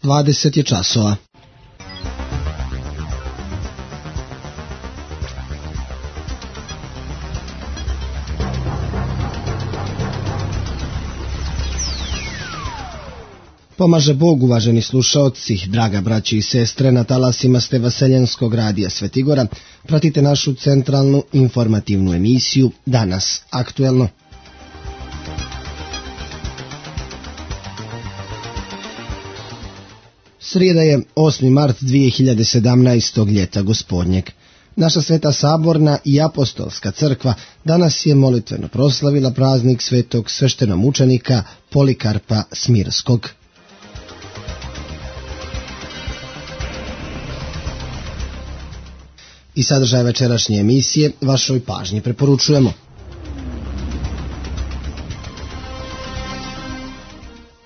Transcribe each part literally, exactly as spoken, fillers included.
dvadeset je časova. Pomaže Bog, uvaženi slušaoci, draga braći i sestre, na talasima ste Vaseljenskog radija Svetigora. Pratite našu centralnu informativnu emisiju Danas aktuelno. Srijeda je osmi mart dvije hiljade sedamnaestog ljeta gospodnjeg. Naša Sveta Saborna i Apostolska crkva danas je molitveno proslavila praznik svetog sveštenomučenika Polikarpa Smirskog. I sadržaj večerašnje emisije vašoj pažnji preporučujemo.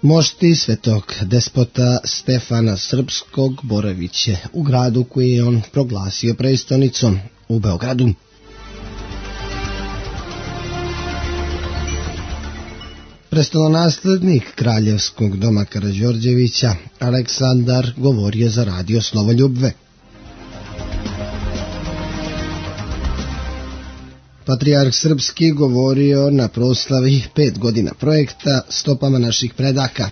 Mošti svetog despota Stefana Srpskog boravit će u gradu koji je on proglasio prestonicom, u Beogradu. Prestolonaslednik Kraljevskog doma Karađorđevića Aleksandar govorio za radio Slovoljubve. Patrijarh Srpski govorio na proslavi pet godina projekta Stopama naših predaka.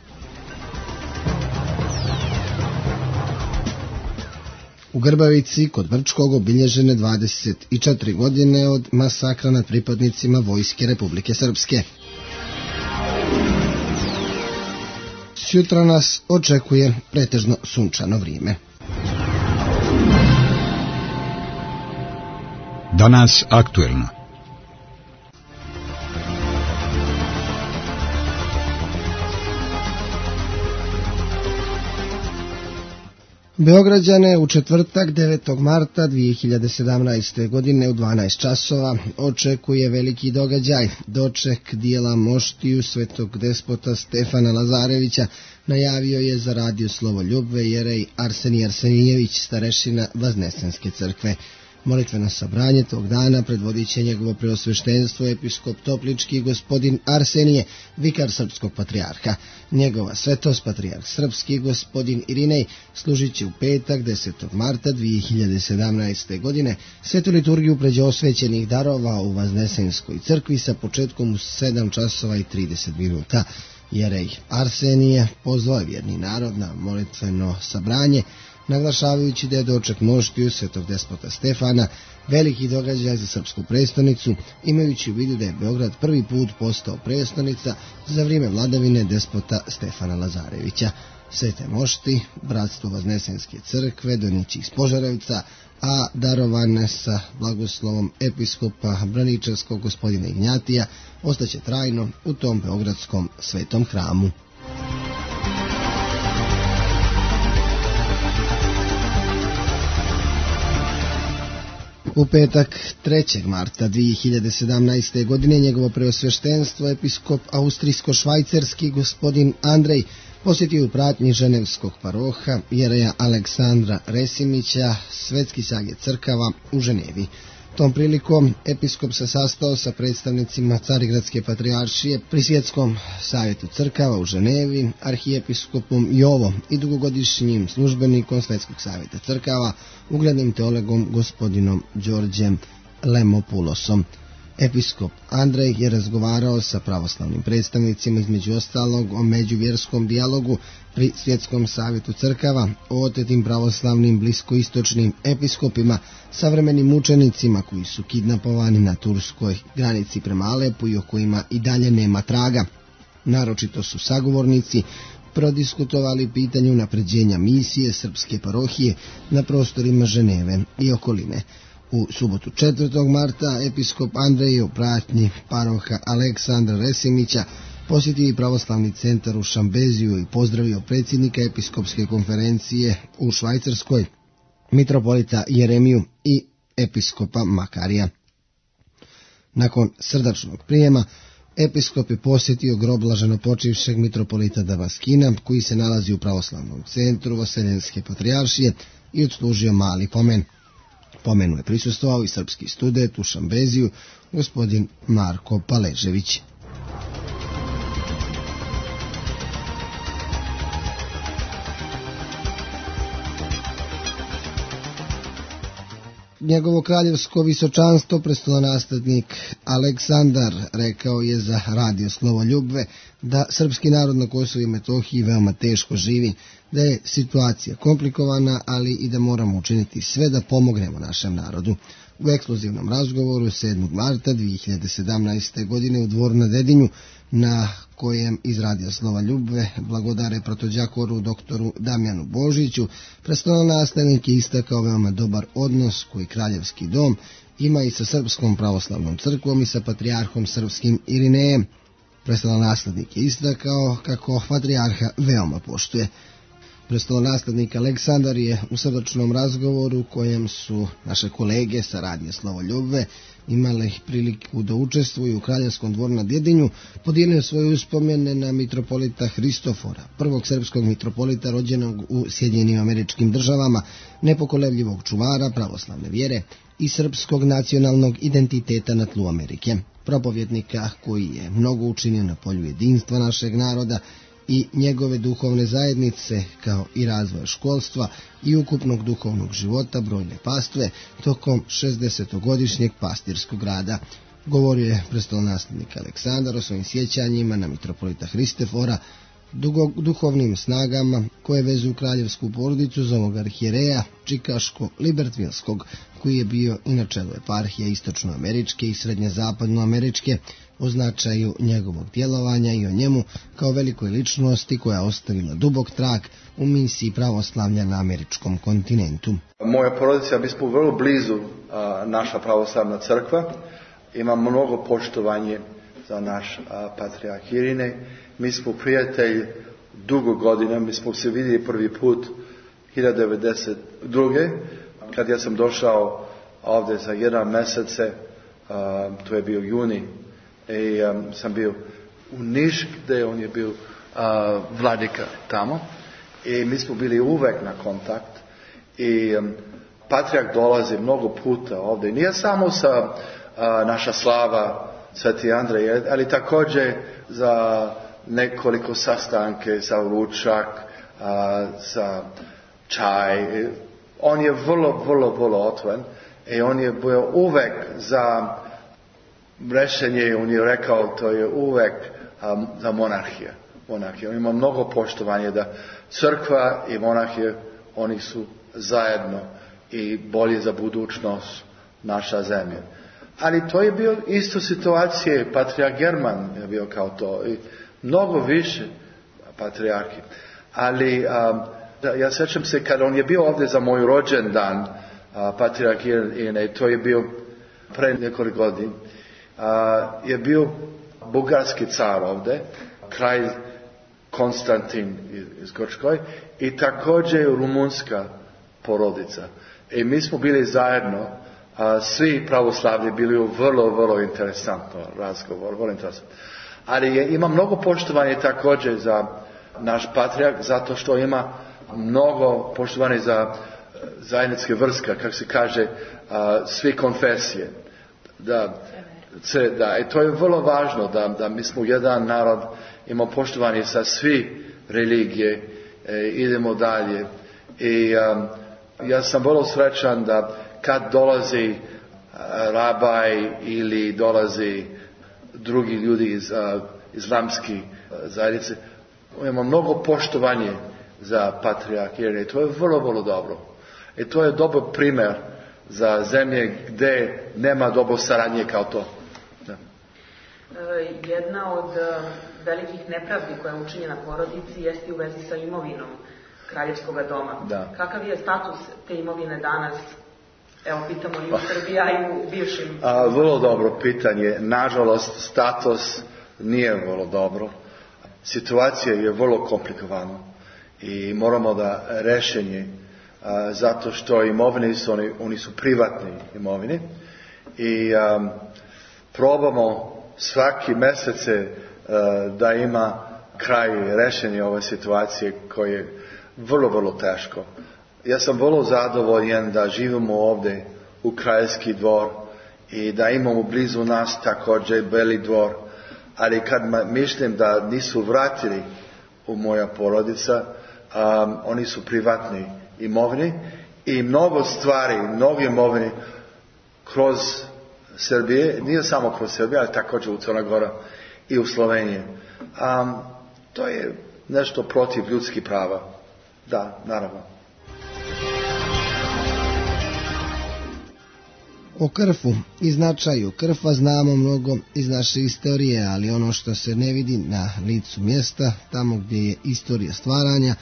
U Grbavici kod Brčkog obilježene dvadeset četiri godine od masakra nad pripadnicima Vojske Republike Srpske. Sutra nas očekuje pretežno sunčano vrijeme. Danas aktuelno. Beograđane u četvrtak devetog marta dvije hiljade sedamnaeste. godine u dvanaest časova očekuje veliki događaj, doček dijela moštiju svetog despota Stefana Lazarevića, najavio je za radio Slovoljubve jerej Arsenij Arsenijević, starešina Vaznesenske crkve. Molitveno sabranje tog dana predvodit će njegovo preosveštenstvo episkop Toplički gospodin Arsenije, vikar srpskog patrijarha. Njegova svetost patrijarh Srpski gospodin Irinej služit će u petak desetog marta dvije hiljade sedamnaeste. godine svetu liturgiju pređe osvećenih darova u Vaznesenskoj crkvi sa početkom u sedam časova i trideset minuta. Jerej Arsenije pozvao je vjerni narod na molitveno sabranje, naglašavajući da je doček moštiju svetog despota Stefana veliki događaj za srpsku prestonicu, imajući u vidu da je Beograd prvi put postao prestonica za vrijeme vladavine despota Stefana Lazarevića. Svete mošti, bratstvo Vaznesenske crkve, donići iz Požarevca, a darovane sa blagoslovom episkopa Braničevskog gospodina Ignjatija, ostaće trajno u tom beogradskom svetom hramu. U petak trećeg marta dvije hiljade sedamnaeste. godine njegovo preosveštenstvo episkop austrijsko-švajcarski gospodin Andrej posjetio u pratnji ženevskog paroha jereja Aleksandra Resimića svetski savjet crkava u Ženevi. Tom prilikom episkop se sastao sa predstavnicima Carigradske patrijaršije pri Svjetskom savjetu crkava u Ženevi, arhijepiskopom Jovo i dugogodišnjim službenikom Svetskog savjeta crkava, uglednim teologom gospodinom Đorđem Lemopulosom. Episkop Andrej je razgovarao sa pravoslavnim predstavnicima, između ostalog o međuvjerskom dijalogu pri Svjetskom savjetu crkava, o otetim pravoslavnim bliskoistočnim episkopima, savremenim mučenicima koji su kidnapovani na turskoj granici prema Alepu i o kojima i dalje nema traga. Naročito su sagovornici prodiskutovali pitanje unapređenja misije srpske parohije na prostorima Ženeve i okoline. U subotu četvrtog marta episkop Andrej je u pratnji paroha Aleksandra Resimića posjetio i pravoslavni centar u Šambeziju i pozdravio predsjednika episkopske konferencije u Švajcarskoj, mitropolita Jeremiju i episkopa Makarija. Nakon srdačnog prijema, episkop je posjetio grob blaženopočivšeg mitropolita Damaskina, koji se nalazi u pravoslavnom centru Vaseljenske patrijaršije, i odslužio mali pomen. Pomenu je prisustvovao i srpski student u Šambeziju, gospodin Marko Paležević. Njegovo kraljevsko visočanstvo, prestolonaslednik Aleksandar, rekao je za radio Slovoljubve da srpski narod na Kosovu i Metohiji veoma teško živi, da je situacija komplikovana, ali i da moramo učiniti sve da pomognemo našem narodu. U ekskluzivnom razgovoru sedmog marta dvije hiljade sedamnaeste. godine u Dvoru na Dedinju, na kojem iz radija Slova Ljubve blagodare protođakoru doktoru Damjanu Božiću, prestolonaslednik je istakao veoma dobar odnos koji Kraljevski dom ima i sa Srpskom pravoslavnom crkvom i sa patrijarhom srpskim Irinejem. Prestolonaslednik je istakao kako patrijarha veoma poštuje. Prestolonaslednik Aleksandar je u srdačnom razgovoru u kojem su naše kolege sa radija Slovoljubve imali priliku da učestvuju u Kraljevskom dvoru na Dedinju, podijelio svoje uspomene na mitropolita Hristofora, prvog srpskog mitropolita rođenog u Sjedinjenim Američkim Državama, nepokolebljivog čuvara pravoslavne vjere i srpskog nacionalnog identiteta na tlu Amerike, propovjednika koji je mnogo učinio na polju jedinstva našeg naroda i njegove duhovne zajednice, kao i razvoja školstva i ukupnog duhovnog života brojne pastve tokom šezdesetogodišnjeg pastirskog rada. Govorio je prestolonaslednik Aleksandar o svojim sjećanjima na mitropolita Hristofora, duhovnim snagama koje vezuju kraljevsku porodicu za ovog arhijereja Čikaško-Libertvilskog, koji je bio i na čelu eparhije istočnoameričke i srednjezapadnoameričke, o značaju njegovog djelovanja i o njemu kao velikoj ličnosti koja je ostavila dubok trag u misiji pravoslavlja na američkom kontinentu. Moja porodica, mi smo vrlo blizu a, naša pravoslavna crkva, ima mnogo poštovanje za naš a, patrijarh Irine. Mi smo prijatelji dugo godina, mi smo se vidjeli prvi put hiljadu devetsto devedeset druge. kad ja sam došao ovdje za jedan mjesece, a, to je bio juni, i um, sam bio u Niš, gdje on je bio uh, vladika tamo, i mi smo bili uvek na kontakt, i um, patrijarh dolazi mnogo puta ovdje, nije samo sa uh, naša slava Sveti Andrej, ali također za nekoliko sastanke, za ručak, uh, za čaj. On je vrlo, vrlo, vrlo otvoren, i on je bio uvek za rešenje, on je rekao, to je uvek um, za monarhije. monarhije. On ima mnogo poštovanja da crkva i monarhije, oni su zajedno i bolje za budućnost naša zemlja. Ali to je bio isto situacije, patrijarh German je bio kao to, i mnogo više patrijarhi. Ali um, ja sjećam se kad on je bio ovdje za moj rođendan, uh, patrijarh Irine, to je bio pre nekoliko godina, Uh, je bio bugarski car ovdje, kralj Konstantin iz Grčkoj, i također rumunska porodica. I mi smo bili zajedno, uh, svi pravoslavni bili u vrlo, vrlo interesantno razgovor, vrlo interesantno. Ali je, ima mnogo poštovanja također za naš patrijarh, zato što ima mnogo poštovanja za zajedničke vrste, kako se kaže, uh, svi konfesije. Da, Da, i to je vrlo važno da, da mi smo jedan narod, imamo poštovanje sa svi religije, e, idemo dalje. I um, ja sam vrlo srećan da kad dolazi uh, rabaj ili dolazi drugi ljudi iz uh, islamske uh, zajednice, imamo mnogo poštovanje za patrijarh Irine. To je vrlo, vrlo dobro. I to je dobar primjer za zemlje gdje nema dobro saradnje kao to. Da. Jedna od velikih nepravdi koja je učinjena porodici jeste u vezi sa imovinom Kraljevskog doma. Da. Kakav je status te imovine danas? Evo, pitamo i u Srbiji, a i u bivšim. A, vrlo dobro pitanje. Nažalost, status nije vrlo dobro. Situacija je vrlo komplikovana i moramo da rešenje, a, zato što imovine su, oni, oni su privatni imovine, i um, probamo svaki mjesece uh, da ima kraj rešenja ove situacije koje je vrlo, vrlo teško. Ja sam vrlo zadovoljan da živimo ovdje u Kraljevski dvor i da imamo blizu nas također Beli dvor, ali kad mislim da nisu vratili u moja porodica, um, oni su privatni imovini, i mnogo stvari, mnogo imovine kroz Srbije, nije samo kroz Srbije, ali također u Crna Gora i u Sloveniji. Um, to je nešto protiv ljudskih prava. Da, naravno. O Krfu i značaju Krfa znamo mnogo iz naše istorije, ali ono što se ne vidi na licu mjesta, tamo gdje je istorija stvaranja,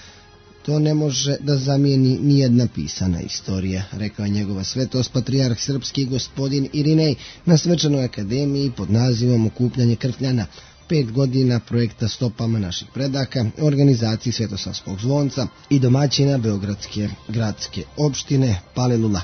to ne može da zamijeni nijedna pisana istorija, rekao je njegova svetost patrijarh srpski gospodin Irinej na svečanoj akademiji pod nazivom Okupljanje Krfljana, pet godina projekta Stopama naših predaka, organizaciji Svetosavskog zvonca i domaćina Beogradske gradske opštine Palilula.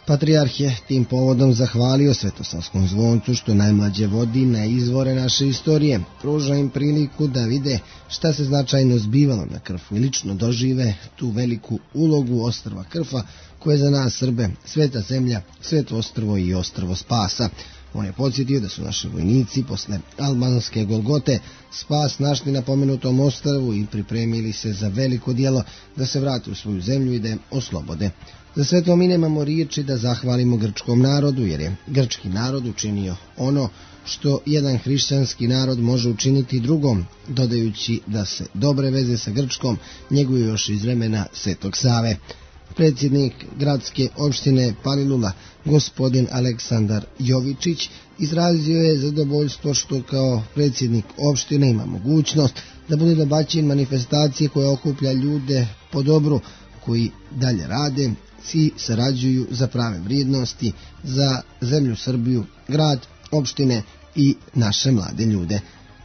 Patrijarh je tim povodom zahvalio Svetosavskom zvoncu što najmlađe vodi na izvore naše istorije, pruža im priliku da vide šta se značajno zbivalo na Krfu i lično dožive tu veliku ulogu ostrva Krfa koje je za nas Srbe sveta zemlja, sveto ostrvo i ostrvo spasa. On je podsjetio da su naši vojnici posle albanske Golgote spas našli na pomenutom ostrvu i pripremili se za veliko djelo da se vrate u svoju zemlju i da je oslobode. Za sve to mi nemamo riječi da zahvalimo grčkom narodu, jer je grčki narod učinio ono što jedan hrišćanski narod može učiniti drugom, dodajući da se dobre veze sa Grčkom njeguju još iz vremena Svetog Save. Predsjednik gradske opštine Palilula, gospodin Aleksandar Jovičić, izrazio je zadovoljstvo što kao predsjednik opštine ima mogućnost da bude domaćin manifestacije koja okuplja ljude po dobru, koji dalje rade i sarađuju za prave vrijednosti, za zemlju Srbiju, grad, opštine i naše mlade ljude.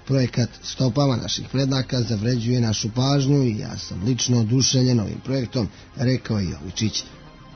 Projekat Stopama naših predaka zavređuje našu pažnju i ja sam lično oduševljen ovim projektom, rekao je Jovičić.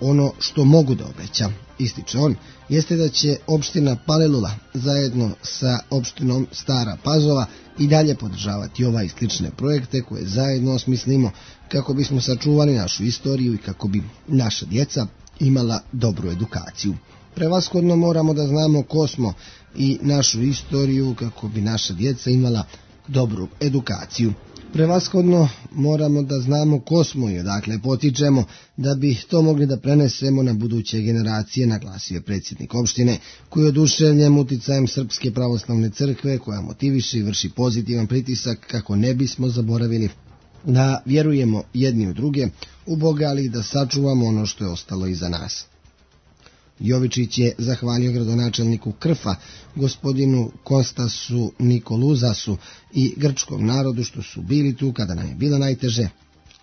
Ono što mogu da obećam, ističe on, jeste da će opština Palilula zajedno sa opštinom Stara Pazova i dalje podržavati ovaj i slične projekte koje zajedno osmislimo kako bismo sačuvali našu istoriju i kako bi naša djeca imala dobru edukaciju. Prevashodno moramo da znamo ko smo i našu istoriju kako bi naša djeca imala dobru edukaciju. Prevashodno moramo da znamo ko smo i odakle potičemo da bi to mogli da prenesemo na buduće generacije, naglasio je predsjednik opštine, koji je oduševljen uticajem Srpske pravoslavne crkve koja motiviše i vrši pozitivan pritisak kako ne bismo zaboravili da vjerujemo jedni u druge, u Boga, ali da sačuvamo ono što je ostalo iza nas. Jovičić je zahvalio gradonačelniku Krfa, gospodinu Konstasu Nikoluzasu i grčkom narodu što su bili tu kada nam je bilo najteže,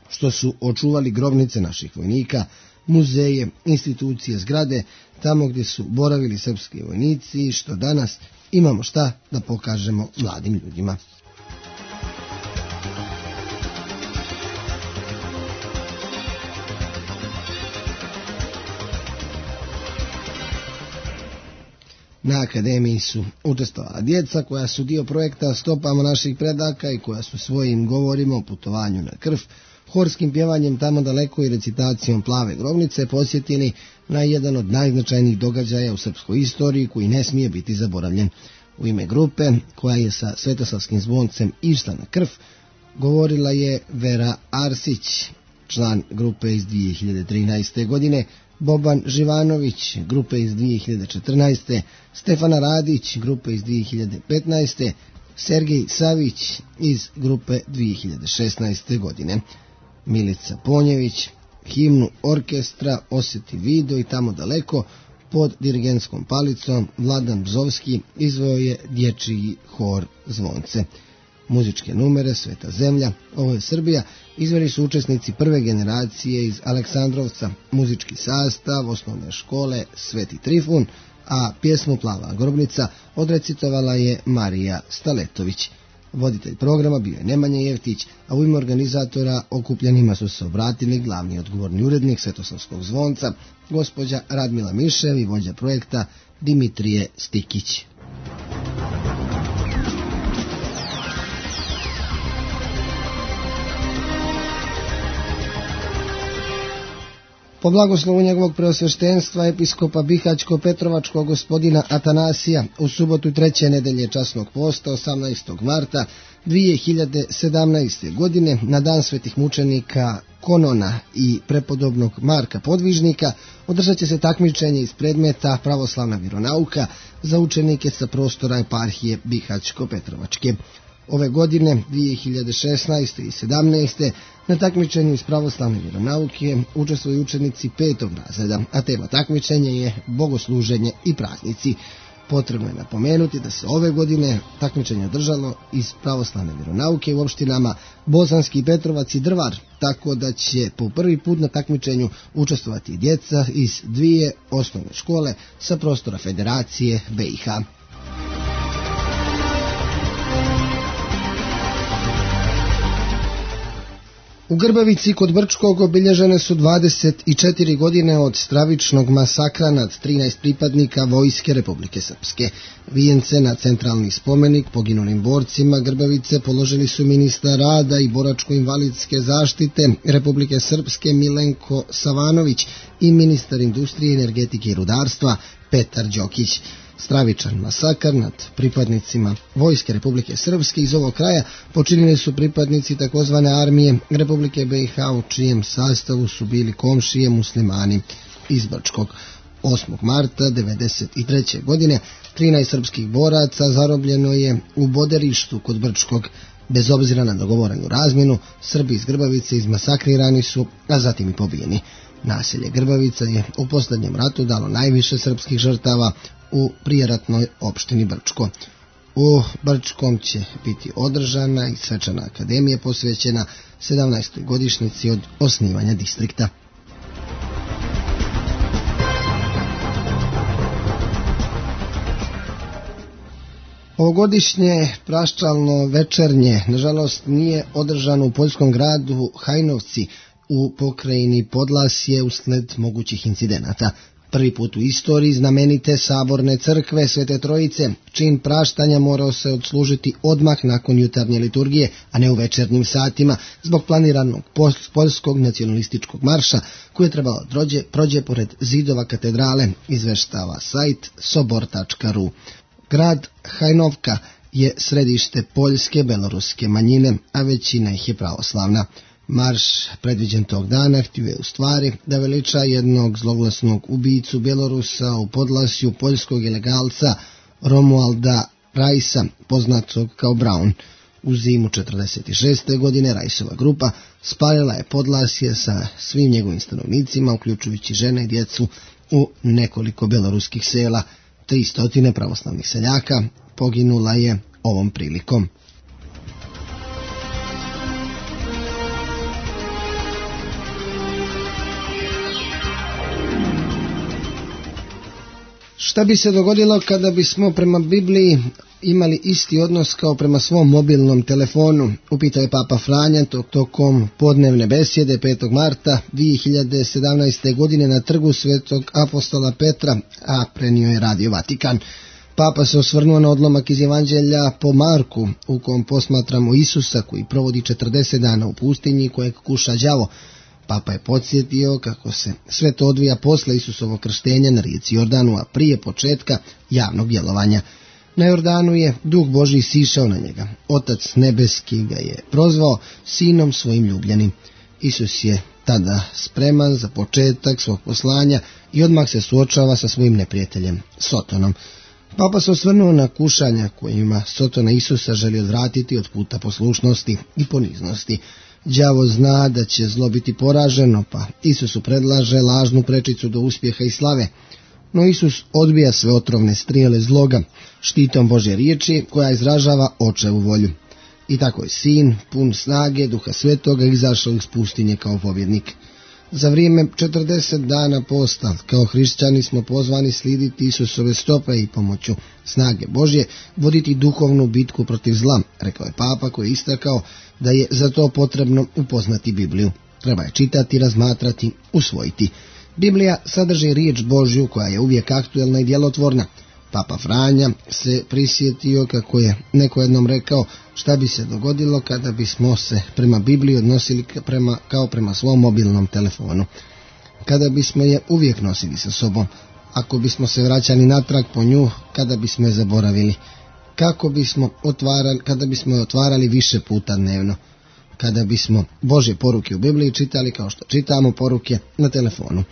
što su očuvali grobnice naših vojnika, muzeje, institucije, zgrade, tamo gdje su boravili srpski vojnici i što danas imamo šta da pokažemo mladim ljudima. Na akademiji su učestvovala djeca koja su dio projekta Stopama naših predaka i koja su svojim govorima o putovanju na Krf, horskim pjevanjem tamo daleko i recitacijom Plave grobnice posjetili na jedan od najznačajnijih događaja u srpskoj istoriji koji ne smije biti zaboravljen. U ime grupe koja je sa Svetosavskim zvoncem išla na Krf govorila je Vera Arsić, član grupe iz dvije hiljade trinaeste. godine, Boban Živanović, grupe iz dvije hiljade četrnaeste. Stefana Radić, grupe iz dvije hiljade petnaeste. Sergej Savić iz grupe dvije hiljade šesnaeste. godine. Milica Ponjević, himnu orkestra Osjeti video i tamo daleko, pod dirigentskom palicom Vladan Bzovski izveo je dječji hor Zvonce. Muzičke numere Sveta zemlja, ovo je Srbija, izveli su učesnici prve generacije iz Aleksandrovca, muzički sastav osnovne škole Sveti Trifun, a pjesmu Plava grobnica odrecitovala je Marija Staletović. Voditelj programa bio je Nemanja Jevtić, a u ime organizatora okupljenima su se obratili glavni odgovorni urednik Svetosavskog zvonca, gospođa Radmila Mišev i vođa projekta Dimitrije Stikić. Po blagoslovu njegovog preosveštenstva episkopa Bihaćko-Petrovačkog gospodina Atanasija u subotu treće nedelje časnog posta osamnaestog marta dvije hiljade sedamnaeste. godine na dan svetih mučenika Konona i prepodobnog Marka Podvižnika održat će se takmičenje iz predmeta pravoslavna vjeronauka za učenike sa prostora eparhije Bihaćko-Petrovačke. Ove godine, dvije hiljade šesnaeste. i sedamnaeste. na takmičenju iz pravoslavne vjeronauke učestvuju učenici petog razreda, a tema takmičenja je bogosluženje i praznici. Potrebno je napomenuti da se ove godine takmičenje održalo iz pravoslavne vjeronauke u opštinama Bosanski Petrovac i Drvar, tako da će po prvi put na takmičenju učestvovati djeca iz dvije osnovne škole sa prostora Federacije B i H. U Grbavici kod Brčkog obilježene su dvadeset četiri godine od stravičnog masakra nad trinaest pripadnika Vojske Republike Srpske. Vijence na centralni spomenik poginulim borcima Grbavice položili su ministar rada i boračko-invalidske zaštite Republike Srpske Milenko Savanović i ministar industrije, energetike i rudarstva Petar Đokić. Stravičan masakar nad pripadnicima Vojske Republike Srpske iz ovog kraja počinili su pripadnici takozvane armije Republike B i H, u čijem sastavu su bili komšije muslimani iz Brčkog. osmog marta devedeset treće. godine trinaest srpskih boraca zarobljeno je u Boderištu kod Brčkog. Bez obzira na dogovorenu razmjenu, Srbi iz Grbavice izmasakrirani su, a zatim i pobijeni. Naselje Grbavica je u posljednjem ratu dalo najviše srpskih žrtava u prijeratnoj opštini Brčko. U Brčkom će biti održana i svečana akademija posvećena sedamnaestoj godišnjici od osnivanja distrikta. Ovogodišnje praščalno večernje, nažalost, nije održano u poljskom gradu Hajnovci u pokrajini Podlasje usled mogućih incidenata. Prvi put u istoriji znamenite saborne crkve Svete Trojice, čin praštanja morao se odslužiti odmah nakon jutarnje liturgije, a ne u večernjim satima, zbog planiranog poljskog nacionalističkog marša koji je trebalo drođe, prođe pored zidova katedrale, izveštava sajt sobor tačka ru. Grad Hajnovka je središte poljske beloruske manjine, a većina ih je pravoslavna. Marš predviđen tog dana htio je u stvari da veliča jednog zloglasnog ubicu Bjelorusa u Podlasju, poljskog ilegalca Romualda Rajsa, poznatog kao Braun. U zimu četrdeset šeste. godine Rajsova grupa spalila je Podlasje sa svim njegovim stanovnicima, uključujući žene i djecu, u nekoliko beloruskih sela. Tri stotine pravoslavnih seljaka poginula je ovom prilikom. Šta bi se dogodilo kada bismo prema Bibliji imali isti odnos kao prema svom mobilnom telefonu, upitao je Papa Franja tokom podnevne besjede petog marta dvije hiljade sedamnaeste. godine na trgu Svetog apostola Petra, a prenio je Radio Vatikan. Papa se osvrnuo na odlomak iz Evanđelja po Marku, u kom posmatramo Isusa koji provodi četrdeset dana u pustinji kojeg kuša đavo. Papa je podsjetio kako se sve to odvija posle Isusovog krštenja na rijeci Jordanu, a prije početka javnog djelovanja. Na Jordanu je Duh Božji sišao na njega. Otac nebeski ga je prozvao sinom svojim ljubljenim. Isus je tada spreman za početak svog poslanja i odmah se suočava sa svojim neprijateljem, Sotonom. Papa se osvrnuo na kušanja kojima Sotona Isusa želi odvratiti od puta poslušnosti i poniznosti. Đavo zna da će zlo biti poraženo, pa Isusu predlaže lažnu prečicu do uspjeha i slave. No Isus odbija sve otrovne strijele zloga štitom Božje riječi koja izražava očevu volju. I tako je sin, pun snage Duha Svetoga, izašao iz pustinje kao pobjednik. Za vrijeme četrdeset dana posta, kao hrišćani smo pozvani slijediti Isusove stope i pomoću snage Božje voditi duhovnu bitku protiv zla, rekao je Papa koji je istakao da je za to potrebno upoznati Bibliju. Treba je čitati, razmatrati, usvojiti. Biblija sadrži riječ Božju koja je uvijek aktuelna i djelotvorna. Papa Franja se prisjetio kako je neko jednom rekao šta bi se dogodilo kada bismo se prema Bibliji odnosili prema, kao prema svom mobilnom telefonu. kada bismo je uvijek nosili sa sobom, ako bismo se vraćali natrag po nju, kada bismo je zaboravili, kako bismo otvarali, kada bismo je otvarali više puta dnevno, kada bismo Božje poruke u Bibliji čitali kao što čitamo poruke na telefonu,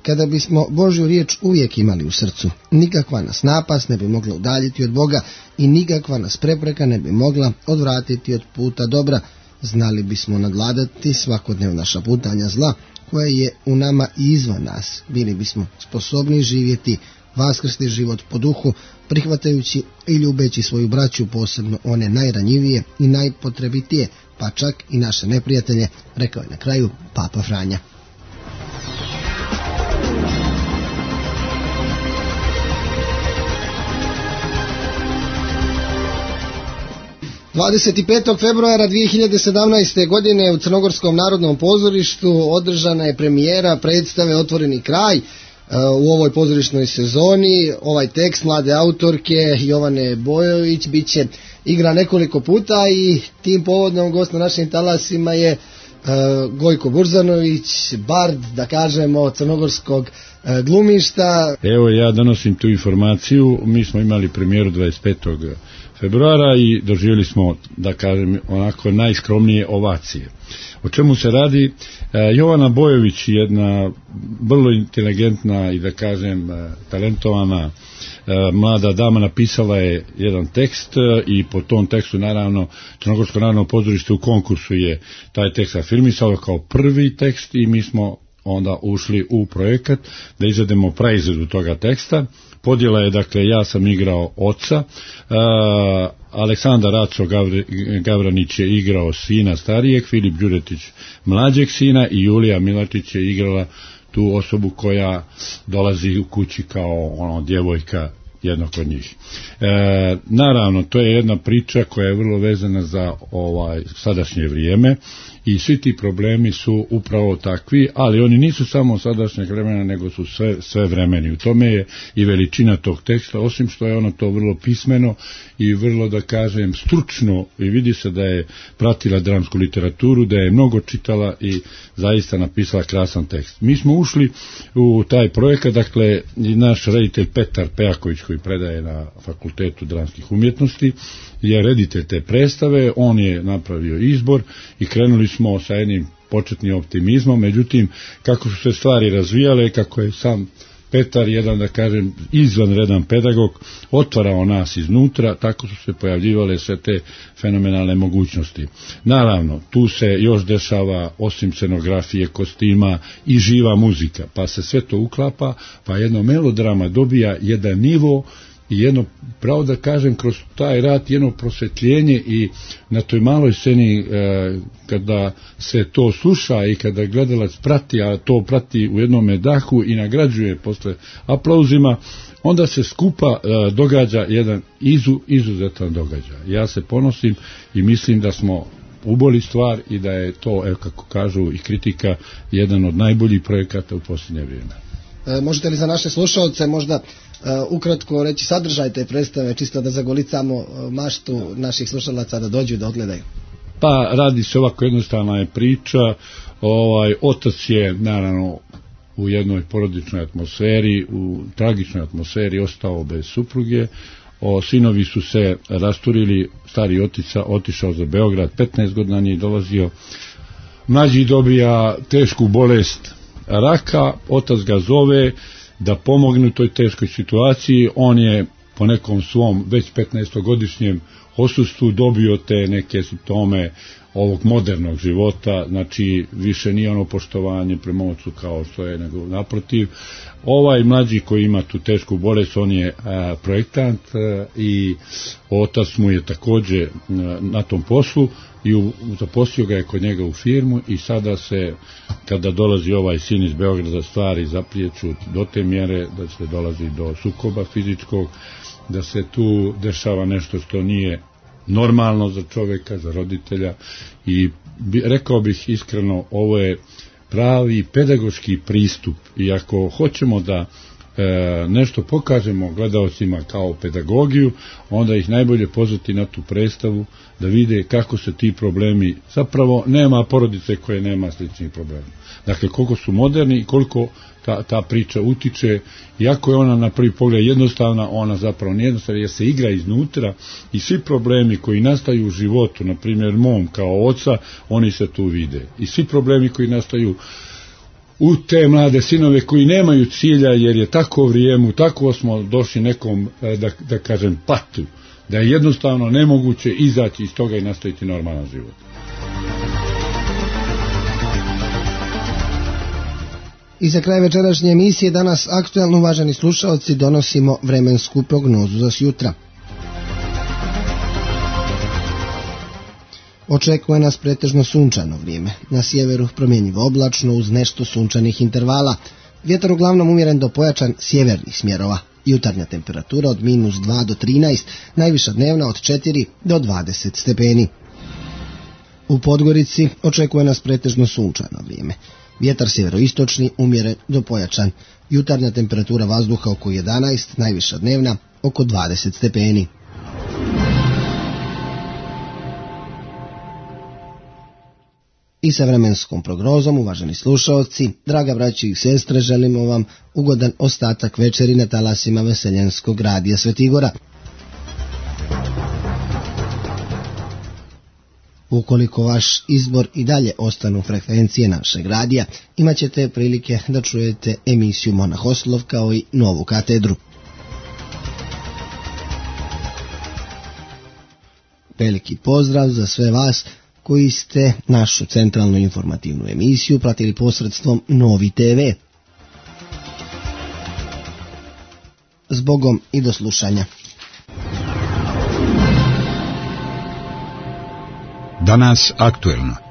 kada bismo Božju riječ uvijek imali u srcu, nikakva nas napast ne bi mogla udaljiti od Boga i nikakva nas prepreka ne bi mogla odvratiti od puta dobra, znali bismo nadvladati svakodnevna šaputanja zla koje je u nama i izvan nas, bili bismo sposobni živjeti vaskrsni život po duhu, prihvatajući i ljubeći svoju braću, posebno one najranjivije i najpotrebitije, pa čak i naše neprijatelje, rekao je na kraju Papa Franja. dvadeset petog februara dvije hiljade sedamnaeste. godine u Crnogorskom narodnom pozorištu održana je premijera predstave Otvoreni kraj. U ovoj pozorišnoj sezoni ovaj tekst mlade autorke Jovane Bojović bit će igra nekoliko puta i tim povodom gost na našim talasima je uh, Gojko Burzanović, bard, da kažemo, crnogorskog uh, glumišta. Evo, ja donosim tu informaciju. Mi smo imali premijeru dvadeset petog februara i doživjeli smo, da kažem, onako najskromnije ovacije. O čemu se radi? Jovana Bojović, jedna vrlo inteligentna i, da kažem, talentovana mlada dama, napisala je jedan tekst i po tom tekstu, naravno, Crnogorsko narodno pozorište u konkursu je taj tekst afirmisalo kao prvi tekst i mi smo onda ušli u projekat da izvedemo praizvedu toga teksta. Podjela je, dakle, ja sam igrao oca, uh, Aleksandar Raco Gavre, Gavranić je igrao sina starijeg, Filip Đuretić mlađeg sina i Julija Milačić je igrala tu osobu koja dolazi u kući kao ono djevojka jednog od njih. E, naravno, to je jedna priča koja je vrlo vezana za ovaj sadašnje vrijeme i svi ti problemi su upravo takvi, ali oni nisu samo sadašnjeg vremena, nego su sve, sve vremeni. U tome je i veličina tog teksta, osim što je ono to vrlo pismeno i vrlo, da kažem, stručno, i vidi se da je pratila dramsku literaturu, da je mnogo čitala i zaista napisala krasan tekst. Mi smo ušli u taj projekat, dakle, i naš reditelj Petar Pejaković, koji predaje na Fakultetu dramskih umjetnosti, je reditelj te predstave, on je napravio izbor i krenuli smo sa jednim početnim optimizmom, međutim, kako su se stvari razvijale, kako je sam Petar, jedan, da kažem, izvanredan pedagog, otvarao nas iznutra, tako su se pojavljivale sve te fenomenalne mogućnosti. Naravno, tu se još dešava, osim scenografije, kostima, i živa muzika, pa se sve to uklapa, pa jedno melodrama dobija jedan nivo i jedno, pravo da kažem, kroz taj rad jedno prosvetljenje i na toj maloj sceni e, kada se to sluša i kada gledalac prati, a to prati u jednom dahu i nagrađuje posle aplauzima, onda se skupa e, događa jedan izu, izuzetan događaj. Ja se ponosim i mislim da smo uboli stvar i da je to, evo kako kažu i kritika, jedan od najboljih projekata u posljednje vrijeme. E, možete li za naše slušalce možda Uh, ukratko reći sadržaj te predstave, čisto da zagolicamo uh, maštu naših slušalaca da dođu da odgledaju? Pa radi se ovako, jednostavna je priča. Ovaj, otac je naravno u jednoj porodičnoj atmosferi, u tragičnoj atmosferi ostao bez supruge. O, sinovi su se rasturili, stari otica otišao za Beograd, petnaest godina nije dolazio. Mlađi dobija tešku bolest raka, otac ga zove da pomogne u toj teškoj situaciji. On je po nekom svom već petnaestogodišnjem osustvu dobio te neke simptome ovog modernog života, znači više nije ono poštovanje prema ocu kao što je, nego naprotiv. Ovaj mlađi koji ima tu tešku bolest, on je a, projektant a, i otac mu je također a, na tom poslu i u, zaposlio ga je kod njega u firmu i sada se, kada dolazi ovaj sin iz Beograda, stvari zapriječu do te mjere da se dolazi do sukoba fizičkog, da se tu dešava nešto što nije normalno za čovjeka, za roditelja i bi, rekao bih iskreno, ovo je pravi pedagoški pristup i ako hoćemo da e, nešto pokažemo gledaocima kao pedagogiju, onda ih najbolje pozvati na tu predstavu da vide kako se ti problemi, zapravo nema porodice koje nema sličnih problema. Dakle, koliko su moderni i koliko ta, ta priča utiče, iako je ona na prvi pogled jednostavna, ona zapravo nije jednostavna jer se igra iznutra i svi problemi koji nastaju u životu, na primjer mom kao oca, oni se tu vide. I svi problemi koji nastaju u te mlade sinove koji nemaju cilja jer je tako vrijeme, tako smo došli nekom, da, da kažem, patu, da je jednostavno nemoguće izaći iz toga i nastaviti normalan život. I za kraj večerašnje emisije danas aktuelno, uvaženi slušalci, donosimo vremensku prognozu za sjutra. Očekuje nas pretežno sunčano vrijeme. Na sjeveru promjenjivo oblačno uz nešto sunčanih intervala. Vjetar uglavnom umjeren do pojačan sjevernih smjerova. Jutarnja temperatura od minus dva do trinaest, najviša dnevna od četiri do dvadeset stepeni. U Podgorici očekuje nas pretežno sunčano vrijeme. Vjetar sjeveroistočni umjeren do pojačan. Jutarnja temperatura vazduha oko jedanaest, najviša dnevna oko dvadeset stepeni. I sa vremenskom prognozom, uvaženi slušalci, draga braći i sestre, želimo vam ugodan ostatak večeri na talasima Veseljenskog radija Svetigora. Ukoliko vaš izbor i dalje ostanu frekvencije našeg radija, imat ćete prilike da čujete emisiju Monahoslov kao i Novu katedru. Veliki pozdrav za sve vas koji ste našu centralnu informativnu emisiju pratili posredstvom Novi te ve. Zbogom i do slušanja. Danas aktuelno.